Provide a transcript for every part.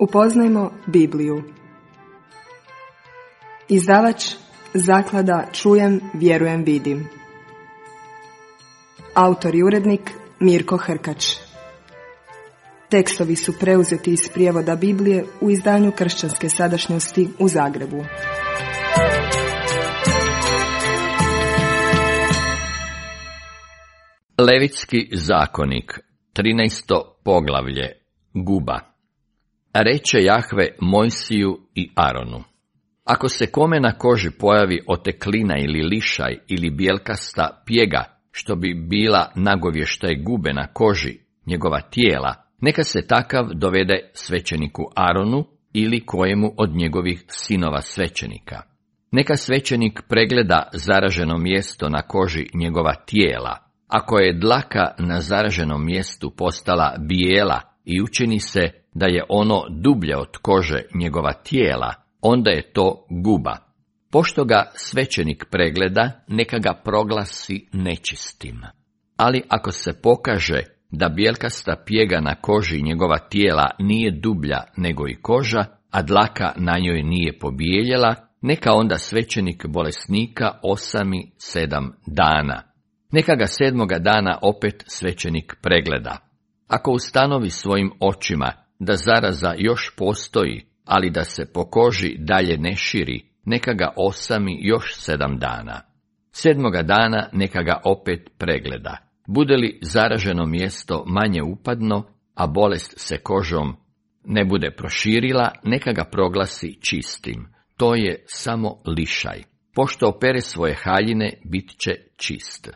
Upoznajmo Bibliju. Izdavač Zaklada Čujem, vjerujem, vidim. Autor i urednik Mirko Hrkač. Tekstovi su preuzeti iz prijevoda Biblije u izdanju Kršćanske sadašnjosti u Zagrebu. Levitski zakonik, 13. poglavlje, Guba. Reče Jahve Mojsiju i Aronu: ako se kome na koži pojavi oteklina ili lišaj ili bijelkasta pjega, što bi bila nagovještaj gube na koži njegova tijela, neka se takav dovede svećeniku Aronu ili kojemu od njegovih sinova svećenika. Neka svećenik pregleda zaraženo mjesto na koži njegova tijela. Ako je dlaka na zaraženom mjestu postala bijela i učini se da je ono dublje od kože njegova tijela, onda je to guba. Pošto ga svećenik pregleda, neka ga proglasi nečistim. Ali ako se pokaže da bijelkasta pjega na koži njegova tijela nije dublja nego i koža, a dlaka na njoj nije pobijeljela, neka onda svećenik bolesnika osami 7 dana. Neka ga 7. dana opet svećenik pregleda. Ako ustanovi svojim očima da zaraza još postoji, ali da se po koži dalje ne širi, neka ga osami još 7 dana. 7. dana neka ga opet pregleda. Bude li zaraženo mjesto manje upadno, a bolest se kožom ne bude proširila, neka ga proglasi čistim. To je samo lišaj. Pošto opere svoje haljine, bit će čist.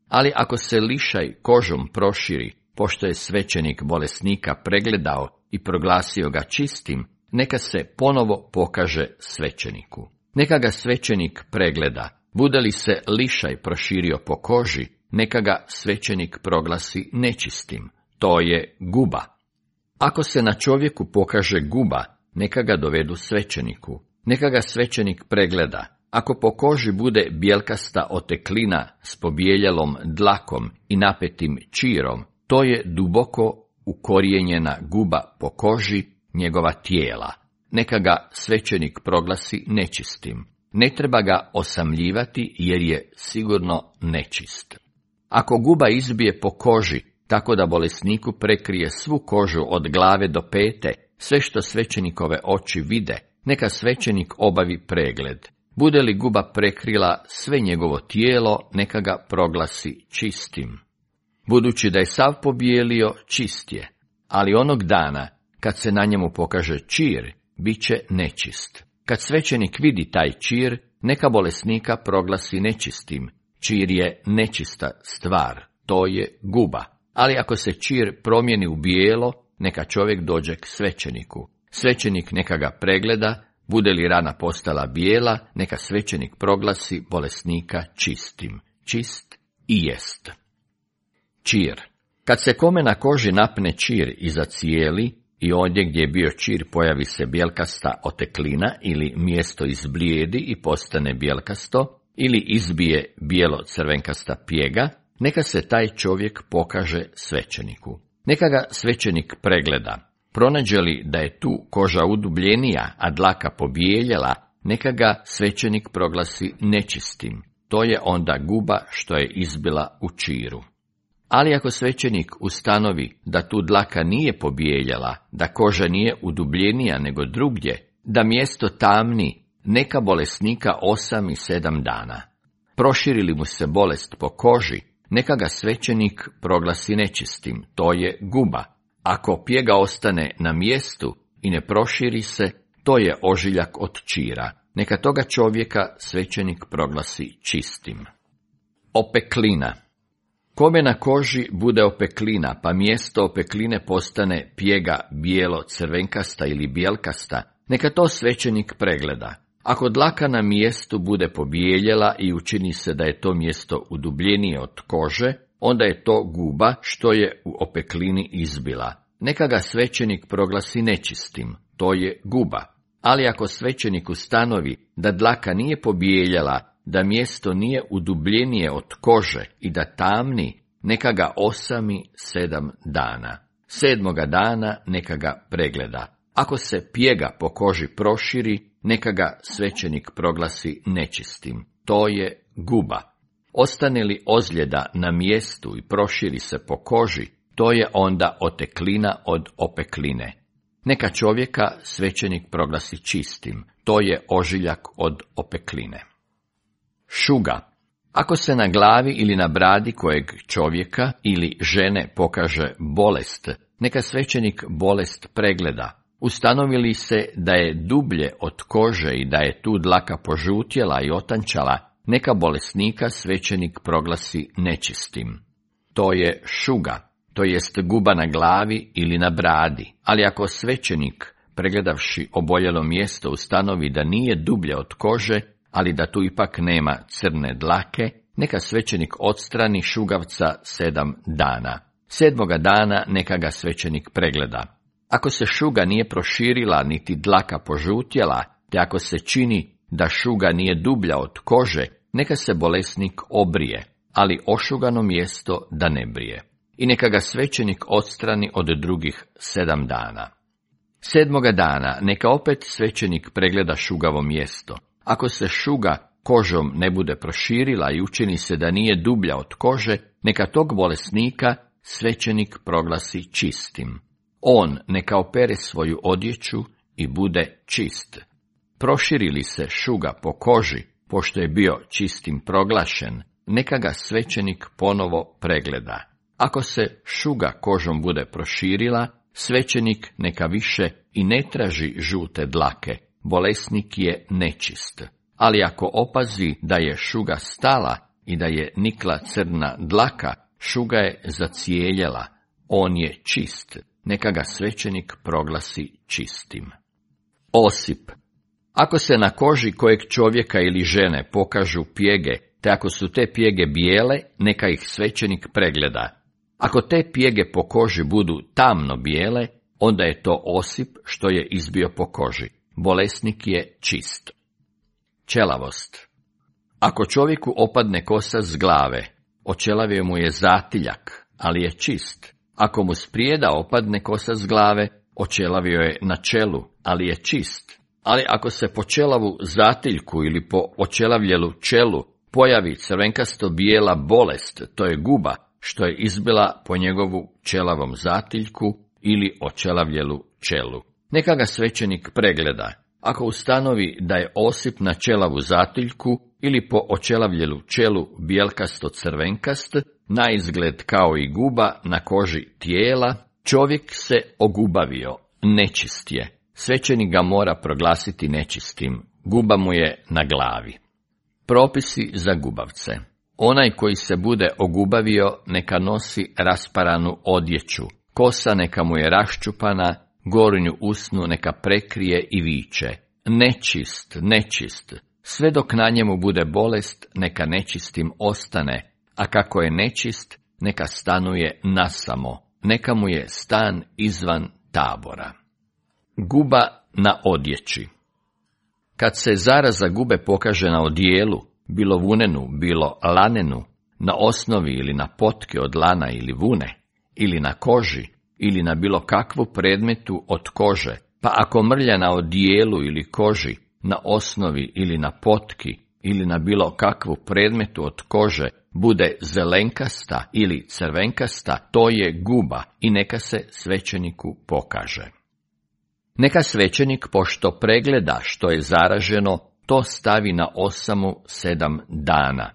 Ali ako se lišaj kožom proširi, pošto je svećenik bolesnika pregledao i proglasio ga čistim, neka se ponovo pokaže svećeniku. Neka ga svećenik pregleda. Bude li se lišaj proširio po koži, neka ga svećenik proglasi nečistim. To je guba. Ako se na čovjeku pokaže guba, neka ga dovedu svećeniku. Neka ga svećenik pregleda. Ako po koži bude bijelkasta oteklina s pobijeljelom dlakom i napetim čirom, to je duboko ukorijenjena guba po koži njegova tijela. Neka ga svećenik proglasi nečistim. Ne treba ga osamljivati jer je sigurno nečist. Ako guba izbije po koži, tako da bolesniku prekrije svu kožu od glave do pete, sve što svećenikove oči vide, neka svećenik obavi pregled. Bude li guba prekrila sve njegovo tijelo, neka ga proglasi čistim. Budući da je sav pobijelio, čist je, ali onog dana, kad se na njemu pokaže čir, bit će nečist. Kad svećenik vidi taj čir, neka bolesnika proglasi nečistim. Čir je nečista stvar, to je guba. Ali ako se čir promijeni u bijelo, neka čovjek dođe k svećeniku. Svećenik neka ga pregleda. Bude li rana postala bijela, neka svećenik proglasi bolesnika čistim. Čist i jest. Čir. Kad se kome na koži napne čir i zacijeli i ondje gdje je bio čir pojavi se bijelkasta oteklina ili mjesto izblijedi i postane bijelkasto ili izbije bijelo crvenkasta pjega, neka se taj čovjek pokaže svećeniku. Neka ga svećenik pregleda. Pronađe li da je tu koža udubljenija, a dlaka pobijeljela, neka ga svećenik proglasi nečistim. To je onda guba što je izbila u čiru. Ali ako svećenik ustanovi da tu dlaka nije pobijeljela, da koža nije udubljenija nego drugdje, da mjesto tamni, neka bolesnika osami 7 dana. Proširi li mu se bolest po koži, neka ga svećenik proglasi nečistim. To je guba. Ako pjega ostane na mjestu i ne proširi se, to je ožiljak od čira. Neka toga čovjeka svećenik proglasi čistim. Opeklina. Kome na koži bude opeklina, pa mjesto opekline postane pjega bijelo, crvenkasta ili bijelkasta, neka to svećenik pregleda. Ako dlaka na mjestu bude pobijeljela i učini se da je to mjesto udubljenije od kože, onda je to guba što je u opeklini izbila. Neka ga svećenik proglasi nečistim, to je guba. Ali ako svećenik ustanovi da dlaka nije pobijeljela, da mjesto nije udubljenije od kože i da tamni, neka ga osami 7 dana. 7. dana neka ga pregleda. Ako se pjega po koži proširi, neka ga svećenik proglasi nečistim. To je guba. Ostane li ozljeda na mjestu i proširi se po koži, to je onda oteklina od opekline. Neka čovjeka svećenik proglasi čistim. To je ožiljak od opekline. Šuga. Ako se na glavi ili na bradi kojeg čovjeka ili žene pokaže bolest, neka svećenik bolest pregleda. Ustanovi li se da je dublje od kože i da je tu dlaka požutjela i otančala, neka bolesnika svećenik proglasi nečistim. To je šuga, to jest guba na glavi ili na bradi, ali ako svećenik, pregledavši oboljelo mjesto, ustanovi da nije dublje od kože, ali da tu ipak nema crne dlake, neka svećenik odstrani šugavca 7 dana. 7. dana neka ga svećenik pregleda. Ako se šuga nije proširila niti dlaka požutjela, te ako se čini da šuga nije dublja od kože, neka se bolesnik obrije, ali ošugano mjesto da ne brije. I neka ga svećenik odstrani od drugih 7 dana. 7. dana neka opet svećenik pregleda šugavo mjesto. Ako se šuga kožom ne bude proširila i učini se da nije dublja od kože, neka tog bolesnika svećenik proglasi čistim. On neka opere svoju odjeću i bude čist. Proširi li se šuga po koži, pošto je bio čistim proglašen, neka ga svećenik ponovo pregleda. Ako se šuga kožom bude proširila, svećenik neka više i ne traži žute dlake, bolesnik je nečist. Ali ako opazi da je šuga stala i da je nikla crna dlaka, šuga je zacijeljela, on je čist, neka ga svećenik proglasi čistim. Osip. Ako se na koži kojeg čovjeka ili žene pokažu pjege, te ako su te pjege bijele, neka ih svećenik pregleda. Ako te pjege po koži budu tamno bijele, onda je to osip što je izbio po koži. Bolesnik je čist. Ćelavost. Ako čovjeku opadne kosa s glave, oćelavio mu je zatiljak, ali je čist. Ako mu s prijeda opadne kosa s glave, oćelavio je na čelu, ali je čist. Ali ako se po ćelavu zatiljku ili po oćelavljelu čelu pojavi crvenkasto bijela bolest, to je guba, što je izbila po njegovu ćelavom zatiljku ili oćelavljelu čelu. Neka ga svećenik pregleda. Ako ustanovi da je osip na ćelavu zatiljku ili po oćelavljelu čelu bijelkasto crvenkast, na izgled kao i guba na koži tijela, čovjek se ogubavio, nečist je. Svećenik ga mora proglasiti nečistim, guba mu je na glavi. Propisi za gubavce. Onaj koji se bude ogubavio neka nosi rasparanu odjeću, kosa neka mu je raščupana, gornju usnu neka prekrije i viče: nečist, nečist. Sve dok na njemu bude bolest, neka nečistim ostane, a kako je nečist, neka stanuje nasamo, neka mu je stan izvan tabora. Guba na odjeći. Kad se zaraza gube pokaže na odijelu, bilo vunenu, bilo lanenu, na osnovi ili na potke od lana ili vune, ili na koži, ili na bilo kakvu predmetu od kože, pa ako mrlja na odijelu ili koži, na osnovi ili na potki, ili na bilo kakvu predmetu od kože, bude zelenkasta ili crvenkasta, to je guba i neka se svećeniku pokaže. Neka svećenik, pošto pregleda što je zaraženo, to stavi na osamu 7 dana.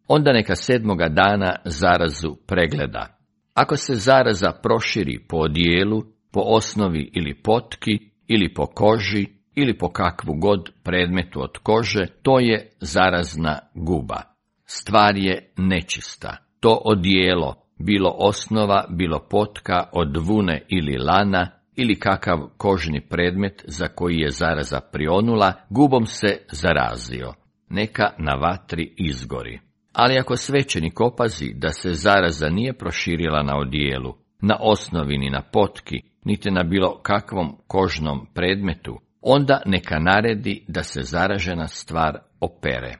Onda neka 7. dana zarazu pregleda. Ako se zaraza proširi po odijelu, po osnovi ili potki, ili po koži, ili po kakvu god predmetu od kože, to je zarazna guba. Stvar je nečista. To odijelo, bilo osnova, bilo potka od vune ili lana, ili kakav kožni predmet za koji je zaraza prionula, gubom se zarazio. Neka na vatri izgori. Ali ako svećenik opazi da se zaraza nije proširila na odijelu, na osnovi ni na potki, niti na bilo kakvom kožnom predmetu, onda neka naredi da se zaražena stvar opere.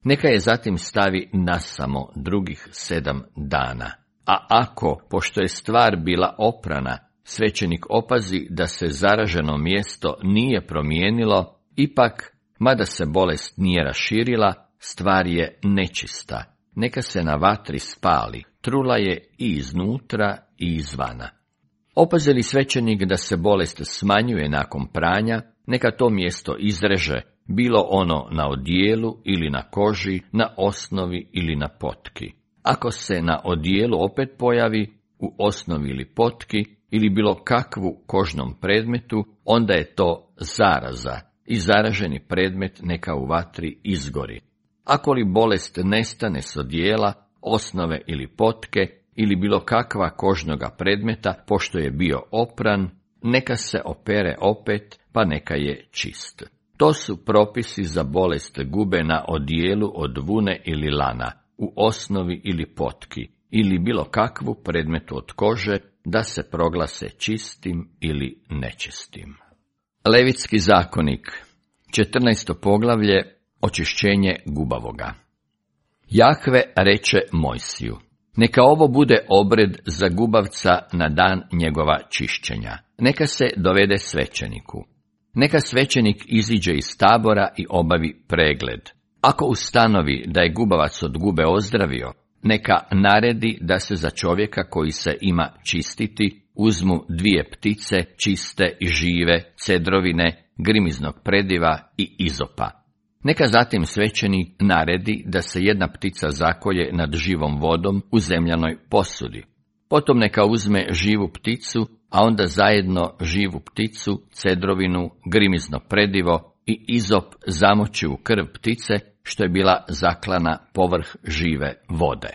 Neka je zatim stavi nasamo drugih 7 dana. A ako, pošto je stvar bila oprana, svećenik opazi da se zaraženo mjesto nije promijenilo, ipak, mada se bolest nije raširila, stvar je nečista. Neka se na vatri spali, trula je i iznutra i izvana. Opazi li svećenik da se bolest smanjuje nakon pranja, neka to mjesto izreže, bilo ono na odijelu ili na koži, na osnovi ili na potki. Ako se na odijelu opet pojavi, u osnovi ili potki, ili bilo kakvu kožnom predmetu, onda je to zaraza i zaraženi predmet neka u vatri izgori. Ako li bolest nestane s odijela, osnove ili potke, ili bilo kakva kožnoga predmeta, pošto je bio opran, neka se opere opet, pa neka je čist. To su propisi za bolest gube na odijelu od vune ili lana, u osnovi ili potki, ili bilo kakvu predmetu od kože, da se proglase čistim ili nečistim. Levitski zakonik, 14. poglavlje, očišćenje gubavoga. Jahve reče Mojsiju: neka ovo bude obred za gubavca na dan njegova čišćenja. Neka se dovede svećeniku. Neka svećenik iziđe iz tabora i obavi pregled. Ako ustanovi da je gubavac od gube ozdravio, neka naredi da se za čovjeka koji se ima čistiti uzmu 2 ptice čiste i žive, cedrovine, grimiznog prediva i izopa. Neka zatim svećenik naredi da se 1 ptica zakolje nad živom vodom u zemljanoj posudi. Potom neka uzme živu pticu, a onda zajedno živu pticu, cedrovinu, grimizno predivo i izop zamoči u krv ptice, što je bila zaklana povrh žive vode.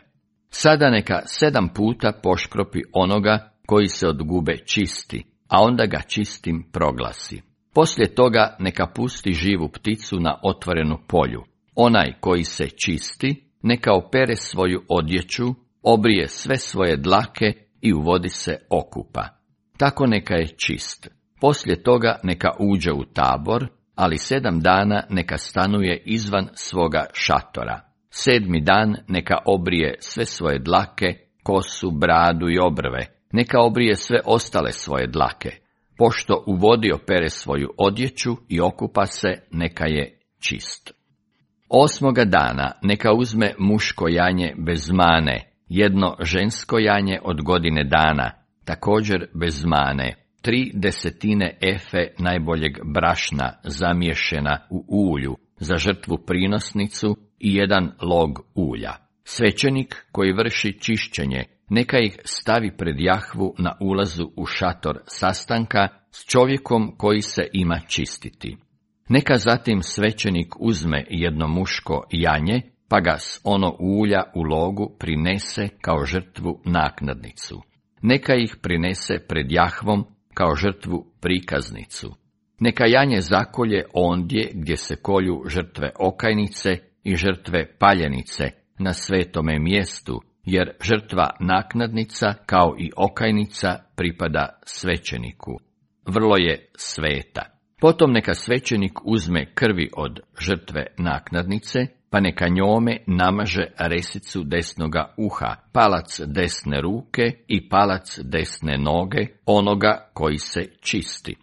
Sada neka 7 puta poškropi onoga koji se od gube čisti, a onda ga čistim proglasi. Poslije toga neka pusti živu pticu na otvorenu polju. Onaj koji se čisti, neka opere svoju odjeću, obrije sve svoje dlake i u vodi se okupa. Tako neka je čist. Poslije toga neka uđe u tabor, ali 7 dana neka stanuje izvan svoga šatora. 7. dan neka obrije sve svoje dlake, kosu, bradu i obrve. Neka obrije sve ostale svoje dlake. Pošto u vodi opere svoju odjeću i okupa se, neka je čist. 8. dana neka uzme muško janje bez mane, 1 žensko janje od godine dana, također bez mane, 3/10 efe najboljeg brašna zamiješena u ulju za žrtvu prinosnicu i 1 log ulja. Svećenik koji vrši čišćenje, neka ih stavi pred Jahvu na ulazu u šator sastanka s čovjekom koji se ima čistiti. Neka zatim svećenik uzme 1 muško janje, pa ga s ono ulja u logu prinese kao žrtvu naknadnicu. Neka ih prinese pred Jahvom kao žrtvu prikaznicu. Neka janje zakolje ondje gdje se kolju žrtve okajnice i žrtve paljenice na svetome mjestu, jer žrtva naknadnica kao i okajnica pripada svećeniku. Vrlo je sveta. Potom neka svećenik uzme krvi od žrtve naknadnice, pa neka njome namaže resicu desnoga uha, palac desne ruke i palac desne noge onoga koji se čisti.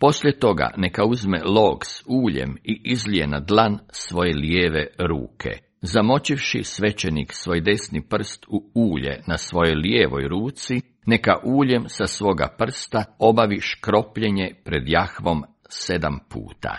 Poslije toga neka uzme log s uljem i izlije na dlan svoje lijeve ruke. Zamočivši svećenik svoj desni prst u ulje na svojoj lijevoj ruci, neka uljem sa svoga prsta obavi škropljenje pred Jahvom 7 puta.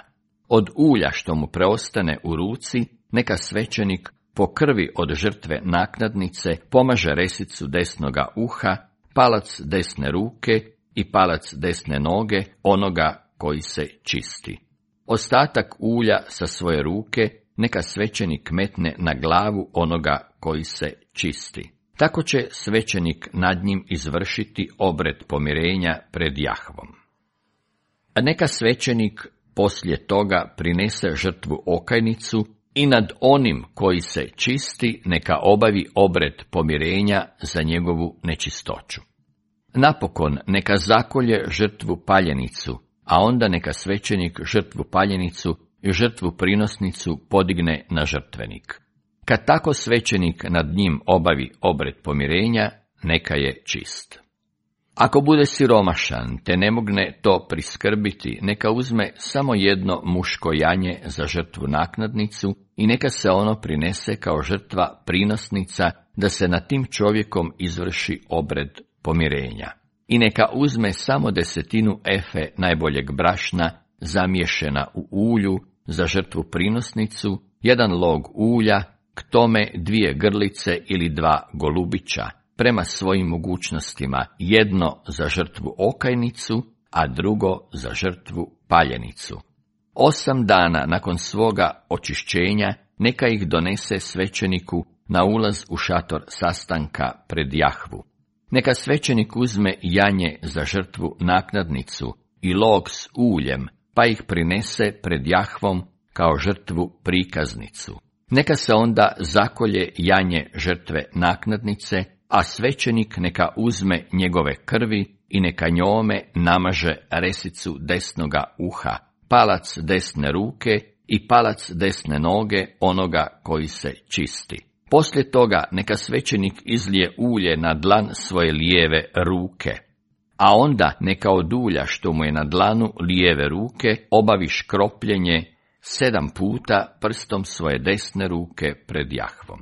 Od ulja što mu preostane u ruci, neka svećenik po krvi od žrtve naknadnice pomaže resicu desnoga uha, palac desne ruke i palac desne noge onoga koji se čisti. Ostatak ulja sa svoje ruke neka svećenik metne na glavu onoga koji se čisti. Tako će svećenik nad njim izvršiti obred pomirenja pred Jahvom. A neka svećenik poslije toga prinese žrtvu okajnicu i nad onim koji se čisti neka obavi obred pomirenja za njegovu nečistoću. Napokon neka zakolje žrtvu paljenicu, a onda neka svećenik žrtvu paljenicu i žrtvu prinosnicu podigne na žrtvenik. Kad tako svećenik nad njim obavi obred pomirenja, neka je čist. Ako bude siromašan, te ne mogne to priskrbiti, neka uzme samo jedno muško janje za žrtvu naknadnicu i neka se ono prinese kao žrtva prinosnica, da se nad tim čovjekom izvrši obred pomirenja. I neka uzme samo 10 efe najboljeg brašna, zamiješena u ulju, za žrtvu prinosnicu, 1 log ulja, k tome 2 grlice ili 2 golubića, prema svojim mogućnostima, jedno za žrtvu okajnicu, a drugo za žrtvu paljenicu. 8 dana nakon svoga očišćenja neka ih donese svećeniku na ulaz u šator sastanka pred Jahvu. Neka svećenik uzme janje za žrtvu naknadnicu i log s uljem, pa ih prinese pred Jahvom kao žrtvu prikaznicu. Neka se onda zakolje janje žrtve naknadnice, a svećenik neka uzme njegove krvi i neka njome namaže resicu desnoga uha, palac desne ruke i palac desne noge onoga koji se čisti. Poslije toga neka svećenik izlije ulje na dlan svoje lijeve ruke, a onda neka od ulja što mu je na dlanu lijeve ruke obavi škropljenje 7 puta prstom svoje desne ruke pred Jahvom.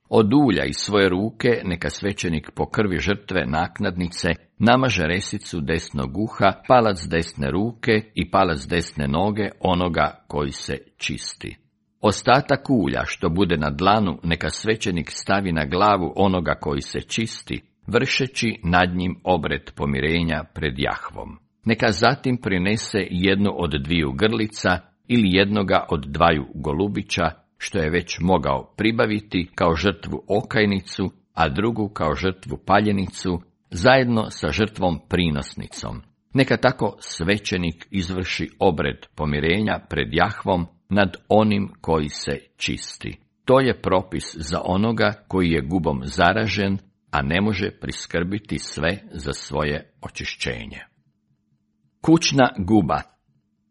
Od ulja iz svoje ruke neka svećenik po krvi žrtve naknadnice namaže resicu desnog uha, palac desne ruke i palac desne noge onoga koji se čisti. Ostatak ulja što bude na dlanu neka svećenik stavi na glavu onoga koji se čisti, vršeći nad njim obred pomirenja pred Jahvom. Neka zatim prinese 1 od 2 grlica ili 1 od 2 golubića, što je već mogao pribaviti kao žrtvu okajnicu, a drugu kao žrtvu paljenicu, zajedno sa žrtvom prinosnicom. Neka tako svećenik izvrši obred pomirenja pred Jahvom nad onim koji se čisti. To je propis za onoga koji je gubom zaražen, a ne može priskrbiti sve za svoje očišćenje. Kućna guba.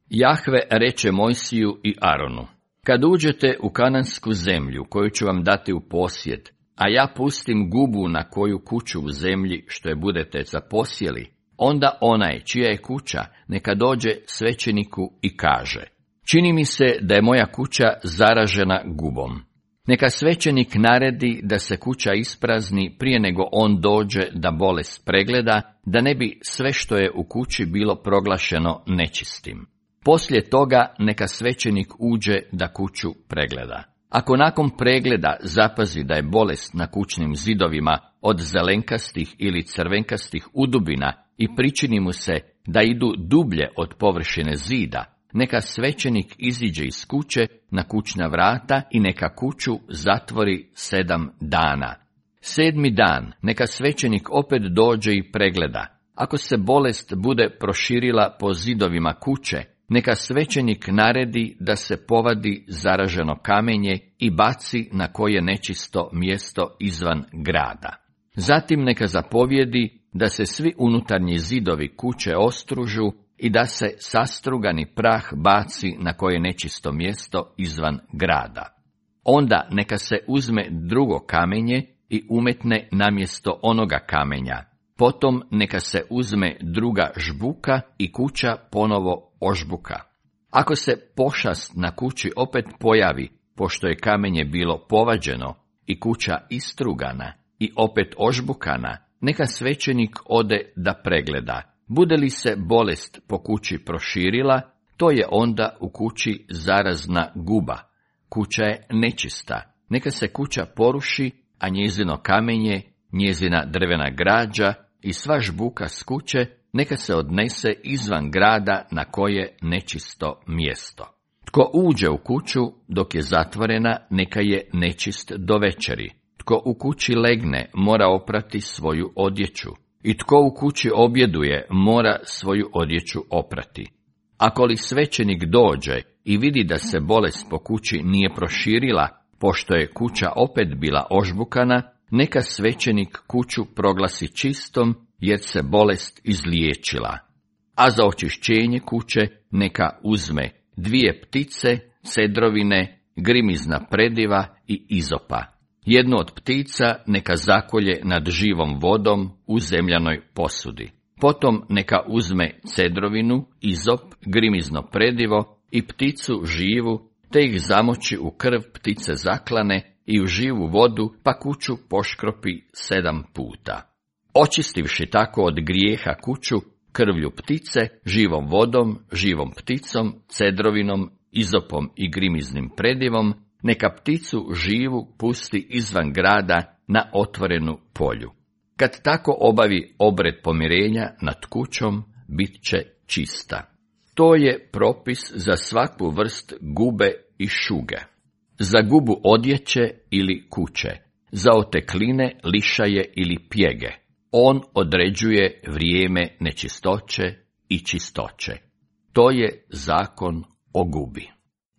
Jahve reče Mojsiju i Aronu: kad uđete u kanansku zemlju koju ću vam dati u posjed, a ja pustim gubu na koju kuću u zemlji što je budete zaposjeli, onda onaj čija je kuća neka dođe svećeniku i kaže: čini mi se da je moja kuća zaražena gubom. Neka svećenik naredi da se kuća isprazni prije nego on dođe da bolest pregleda, da ne bi sve što je u kući bilo proglašeno nečistim. Poslije toga neka svećenik uđe da kuću pregleda. Ako nakon pregleda zapazi da je bolest na kućnim zidovima od zelenkastih ili crvenkastih udubina i pričini mu se da idu dublje od površine zida, neka svećenik iziđe iz kuće na kućna vrata i neka kuću zatvori 7 dana. 7. dan neka svećenik opet dođe i pregleda. Ako se bolest bude proširila po zidovima kuće, neka svećenik naredi da se povadi zaraženo kamenje i baci na koje nečisto mjesto izvan grada. Zatim neka zapovjedi da se svi unutarnji zidovi kuće ostružu i da se sastrugani prah baci na koje nečisto mjesto izvan grada. Onda neka se uzme drugo kamenje i umetne namjesto onoga kamenja. Potom neka se uzme druga žbuka i kuća ponovo ožbuka. Ako se pošast na kući opet pojavi, pošto je kamenje bilo povađeno i kuća istrugana i opet ožbukana, neka svećenik ode da pregleda. Bude li se bolest po kući proširila, to je onda u kući zarazna guba. Kuća je nečista. Neka se kuća poruši, a njezino kamenje, njezina drvena građa i sva žbuka s kuće neka se odnese izvan grada na koje nečisto mjesto. Tko uđe u kuću dok je zatvorena, neka je nečist do večeri. Tko u kući legne, mora oprati svoju odjeću. I tko u kući objeduje, mora svoju odjeću oprati. Ako li svećenik dođe i vidi da se bolest po kući nije proširila, pošto je kuća opet bila ožbukana, neka svećenik kuću proglasi čistom, jer se bolest izliječila. A za očišćenje kuće neka uzme 2 ptice, cedrovine, grimizna prediva i izopa. Jednu od ptica neka zakolje nad živom vodom u zemljanoj posudi. Potom neka uzme cedrovinu, izop, grimizno predivo i pticu živu, te ih zamoči u krv ptice zaklane i u živu vodu, pa kuću poškropi 7 puta. Očistivši tako od grijeha kuću, krvlju ptice, živom vodom, živom pticom, cedrovinom, izopom i grimiznim predivom, neka pticu živu pusti izvan grada na otvorenu polju. Kad tako obavi obred pomirenja nad kućom, bit će čista. To je propis za svaku vrst gube i šuge. Za gubu odjeće ili kuće, za otekline, lišaje ili pjege. On određuje vrijeme nečistoće i čistoće. To je zakon o gubi.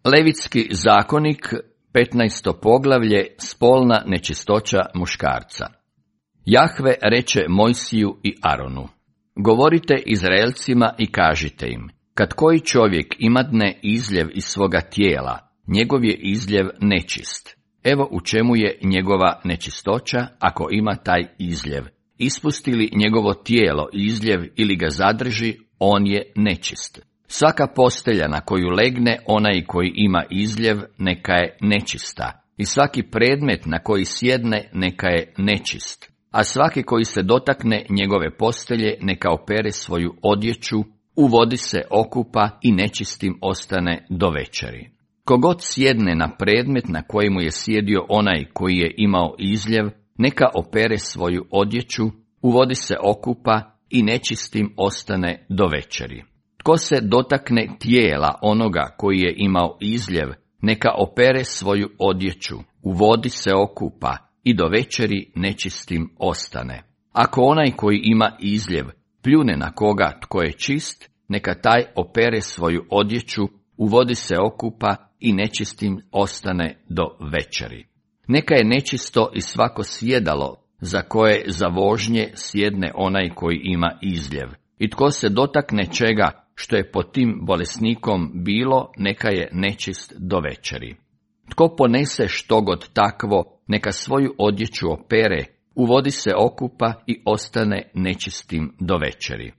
Levitski zakonik, 15. poglavlje, spolna nečistoća muškarca. Jahve reče Mojsiju i Aronu: govorite Izraelcima i kažite im, kad koji čovjek imadne izljev iz svoga tijela, njegov je izljev nečist. Evo u čemu je njegova nečistoća ako ima taj izljev. Ispusti li njegovo tijelo izljev ili ga zadrži, on je nečist. Svaka postelja na koju legne onaj koji ima izljev, neka je nečista. I svaki predmet na koji sjedne, neka je nečist. A svaki koji se dotakne njegove postelje, neka opere svoju odjeću, u vodi se okupa i nečistim ostane do večeri. Kogod sjedne na predmet na kojemu je sjedio onaj koji je imao izljev, neka opere svoju odjeću, u vodi se okupa i nečistim ostane do večeri. Tko se dotakne tijela onoga koji je imao izljev, neka opere svoju odjeću, u vodi se okupa i do večeri nečistim ostane. Ako onaj koji ima izljev pljune na koga tko je čist, neka taj opere svoju odjeću, u vodi se okupa i nečistim ostane do večeri. Neka je nečisto i svako sjedalo za koje za vožnje sjedne onaj koji ima izljev. I tko se dotakne čega što je pod tim bolesnikom bilo, neka je nečist do večeri. Tko ponese štogod takvo, neka svoju odjeću opere, u vodi se okupa i ostane nečistim do večeri.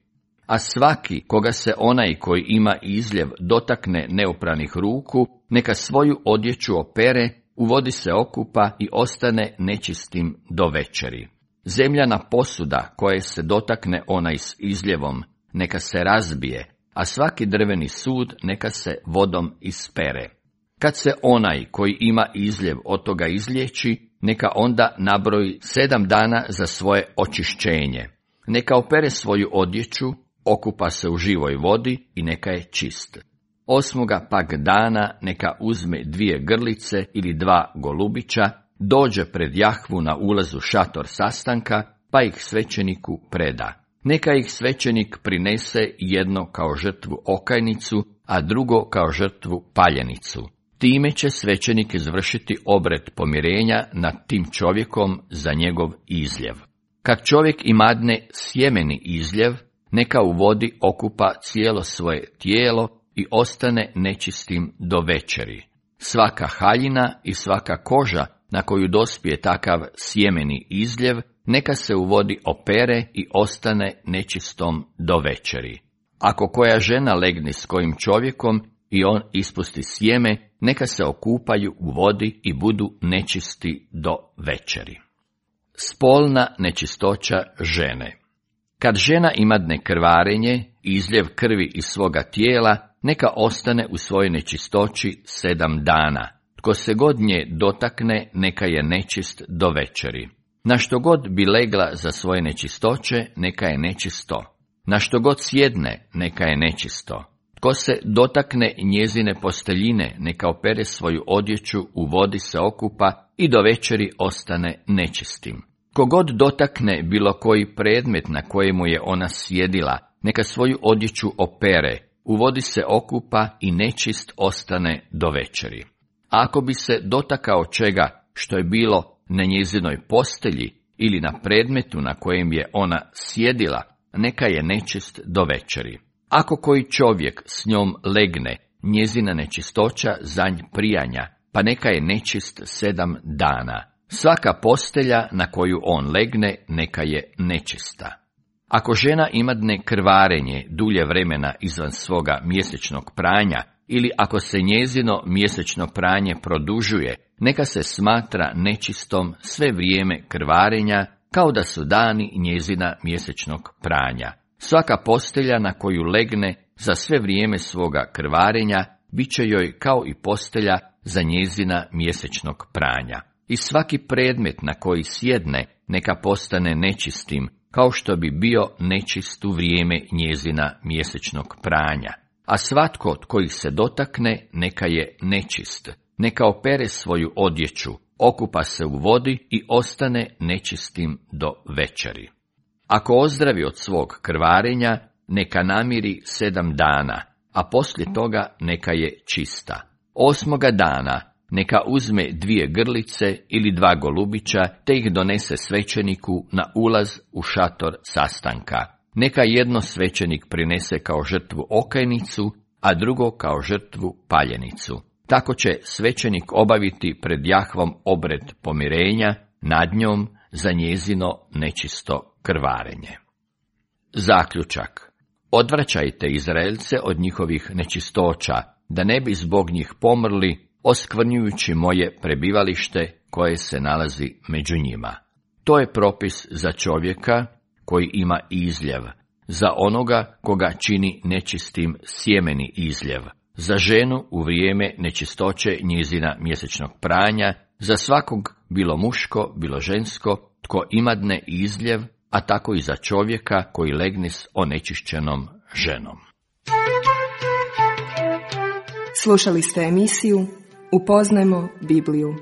A svaki koga se onaj koji ima izljev dotakne neopranih ruku, neka svoju odjeću opere, u vodi se okupa i ostane nečistim do večeri. Zemljana posuda koje se dotakne onaj s izljevom, neka se razbije, a svaki drveni sud neka se vodom ispere. Kad se onaj koji ima izljev od toga izliječi, neka onda nabroji 7 dana za svoje očišćenje. Neka opere svoju odjeću, okupa se u živoj vodi i neka je čist. 8. pak dana neka uzme 2 grlice ili 2 golubića, dođe pred Jahvu na ulazu šator sastanka, pa ih svećeniku preda. Neka ih svećenik prinese jedno kao žrtvu okajnicu, a drugo kao žrtvu paljenicu. Time će svećenik izvršiti obred pomirenja nad tim čovjekom za njegov izljev. Kad čovjek imadne sjemeni izljev, neka u vodi okupa cijelo svoje tijelo i ostane nečistim do večeri. Svaka haljina i svaka koža na koju dospije takav sjemeni izljev, neka se u vodi opere i ostane nečistom do večeri. Ako koja žena legne s kojim čovjekom i on ispusti sjeme, neka se okupaju u vodi i budu nečisti do večeri. Spolna nečistoća žene. Kad žena imadne krvarenje, izljev krvi iz svoga tijela, neka ostane u svojoj nečistoći 7 dana. Tko se god nje dotakne, neka je nečist do večeri. Na što god bi legla za svoje nečistoće, neka je nečisto. Na što god sjedne, neka je nečisto. Tko se dotakne njezine posteljine, neka opere svoju odjeću, u vodi se okupa i do večeri ostane nečistim. Kogod dotakne bilo koji predmet na kojemu je ona sjedila, neka svoju odjeću opere, u vodi se okupa i nečist ostane do večeri. A ako bi se dotakao čega što je bilo na njezinoj postelji ili na predmetu na kojem je ona sjedila, neka je nečist do večeri. Ako koji čovjek s njom legne, njezina nečistoća za nj prijanja, pa neka je nečist 7 dana. Svaka postelja na koju on legne, neka je nečista. Ako žena imadne krvarenje dulje vremena izvan svoga mjesečnog pranja, ili ako se njezino mjesečno pranje produžuje, neka se smatra nečistom sve vrijeme krvarenja, kao da su dani njezina mjesečnog pranja. Svaka postelja na koju legne za sve vrijeme svoga krvarenja, bit će joj kao i postelja za njezina mjesečnog pranja. I svaki predmet na koji sjedne, neka postane nečistim, kao što bi bio nečist u vrijeme njezina mjesečnog pranja. A svatko od kojih se dotakne, neka je nečist. Neka opere svoju odjeću, okupa se u vodi i ostane nečistim do večeri. Ako ozdravi od svog krvarenja, neka namiri 7 dana, a poslije toga neka je čista. 8. dana neka uzme 2 grlice ili 2 golubića, te ih donese svećeniku na ulaz u šator sastanka. Neka jedno svećenik prinese kao žrtvu okajnicu, a drugo kao žrtvu paljenicu. Tako će svećenik obaviti pred Jahvom obred pomirenja nad njom za njezino nečisto krvarenje. Zaključak. Odvraćajte Izraelce od njihovih nečistoća, da ne bi zbog njih pomrli, oskvrnjujući moje prebivalište koje se nalazi među njima. To je propis za čovjeka koji ima izljev, za onoga koga čini nečistim sjemeni izljev, za ženu u vrijeme nečistoće njezina mjesečnog pranja, za svakog bilo muško, bilo žensko, tko imadne izljev, a tako i za čovjeka koji legne s onečišćenom ženom. Slušali ste emisiju Upoznajmo Bibliju.